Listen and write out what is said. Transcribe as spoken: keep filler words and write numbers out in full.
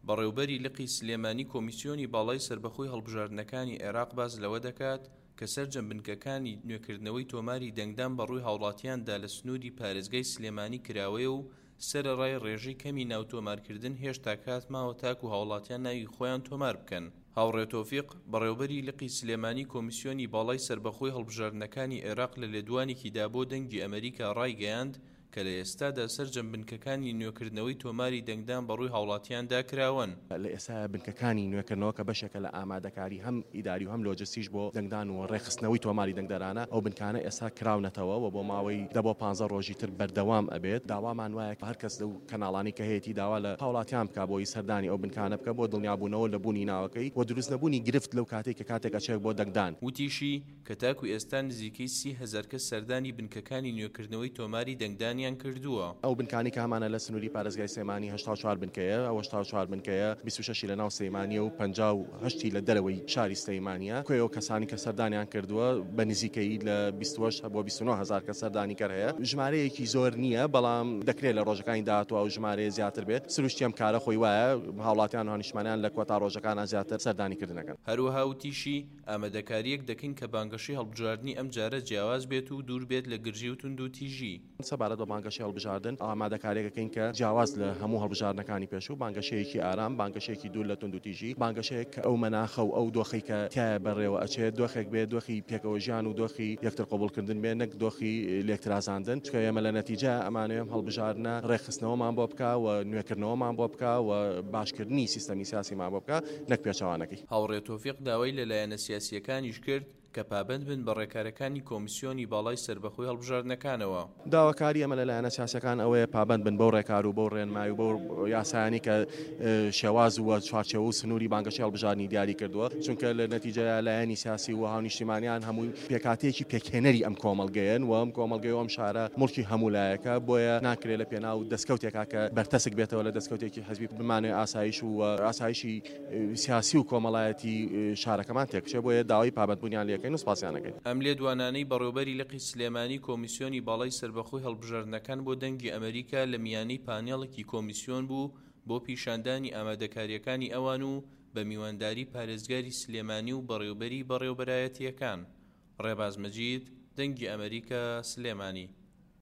بەڕێوبەری لقی سلێمانی کۆمیسیۆنی باڵای سەربەخۆی هەڵبژاردنەکانی عێراق باس لەوە دەکات کە سەرجەم بنکەکانی نوێکردنەوەی تۆماری دەنگدان بەڕووی هاوڵاتیاندا لە سنووری پارێزگای سلێمانی کراوەیە و سەرەڕای ڕێژەی کەمی ناو تۆمارکردن هێشتا کات ماوە تاکو هاوڵاتیان ناوی خۆیان تۆمار بکەن. هاوڕێ تۆفیق، بەڕێوبەری لقی سلێمانی کۆمیسیۆنی باڵای سەربەخۆی هەڵبژاردنەکانی عێراق لە لێدوانێکیدا بۆ دەنگی ئەمەریکا ڕایگەیاند کە لە ئێستادا سەرجەم بنکەکانی نوێکردنەوەی تۆماری دەنگدان بەڕووی هاوڵاتیاندا کراوەن. لە ئێستا بنکەکانی نوێکردنەوە کە بەشێکە لە ئامادەکاری هەم ئیداری و هەم لۆجستیش بۆ دەنگدان و ڕێکخستنەوەی تۆماری دەنگدەرانە، ئەو بنکانە ئێستا کراونەتەوە و بۆ ماوەی دە بۆ پانزە ڕۆژی تر بەردەوام ئەبێت. داوامان وایە هەر کەس لەو کەناڵانی کە هەیەی داوا لە هاوڵاتیان بکا بۆی سەردانی ئەو بنکانە بکە بۆ دڵنیابوونەوە لە بوونی ناوەکەی و دروست نەبوونی گرفت لەو کاتێک کە کاتێک ئەچێت بۆ دەنگدان. وتیشی کە تاکو ئێستا نزیکەی سی هەزار کەس سەردانی بنکەکانی نوێکردنەوەی تۆماری دەنگدانیان کردووە. ئەو بنکانی کە هەمانە لە سنووری پارێزگای سلێمانی هەشتا و چوار بنکەیە، ئەو هەشتا و چوار بنکەیە بیست و شەشی لە ناو سلێمانیە و پەنجا و هەشتی لە دەرەوەی شاری سلێمانیە. کۆی ئەو کەسانی کە سەردانیان کردووە بە نزیکەی لە بیست و هەشت بۆ بیست و نۆ هەزار کە سەردانی کەر هەیە. ژمارەیەکی زۆر نییە، بەڵام دەکرێت لە ڕۆژەکانی داهاتوو ئەو ژمارەیە زیاتر بێت. سروشتی ئەم کارە خۆی وایە هاوڵاتیان و هاونیشتمانیان لە کۆتا ڕۆژەکانە زیاتر سەردانی کردنەکەن. هەروەها وتیشی ئامادەکاریەک دەکەین کە بانگەشەی هەڵبژاردنی ئەم جارە جیاواز بێت و دوور بێت لە گرژی و توندوتیژی. سەبارەت بە بانگەشەی هەڵبژاردن ئامادەکاریەکەین کە جیاواز لە هەموو هەڵبژاردنەکانی پێشوو، بانگەشەیەکی ئارام، بانگەشەیەکی دوور لە توندوتیژی، بانگەشەیەک کە ئەو مەناخە و ئەو دۆخی کە تایە بەڕێوە ئەچێت دۆخێک بێت دۆخی پێکەوە ژیان و دۆخی یەکتر قبوڵکردن بێت، نەک دۆخی لێکترازاندن. چونکە ئێمە لە نەتیجە ئەمانەوێم هەڵبژاردنە ڕێکخستنەوەمان بۆ بکا و نوێکردنەوەمان بۆ بکا و باشکردنی سیستەمی سیاسیمان بۆ بکا، نەک پێچەوانەکەی. هاوڕێ تۆفیق داوای لە لایەنە سیاسیەکانیش کرد کە پابەند بن بە ڕێکارەکانی کۆمیسیۆنی باڵای سەربەخۆی هەڵبژاردنەکانەوە. داواکاری ئەمە لە لایەنە سیاسەکان ئەوەیە پابەند بن بەو ڕێکار و بەو ڕێنمایی و بەو یاسایانی کە شێواز و چوارچێوە و سنووری بانگەشەی هەڵبژاردنی دیاری کردووە، چونکە لە نەتیجەیە لایەنی سیاسی و هاونیشتیمانیان هەمووی پێکاتەیەکی پێکهێنەری ئەم کۆمەڵگەیەن و ئەم کۆمەڵگەی و ئەم شارە مڵکی هەموو لایەکە، بۆیە ناکرێت لە پێناو دەستکەوتێکا کە بەرتەسک بێتەوە لە دەستکەوتێکی حزبی بمانەوێ ئاسایش و ئاسایشی سیاسی و کۆمەڵایەتی شارەکەمان تێک بچێت، بۆیە داوای پابەندبوونیان لێکەین و سپاسیانەکەین. ئەم لێدوانانەی بەڕێوبەری لقی سلێمانی کۆمیسیۆنی باڵای سەربەخۆی هەڵبژاردنەکان بۆ دەنگی ئەمریکا لە میانەی پانێڵێکی کۆمیسیۆن بوو بۆ پیشاندانی ئامادەکاریەکانی ئەوان و بە میوانداری پارێزگاری سلێمانی و بەڕێوبەری بەڕێوبەرایەتیەکان. ڕێباز مەجید، دەنگی ئەمریکا، سلێمانی.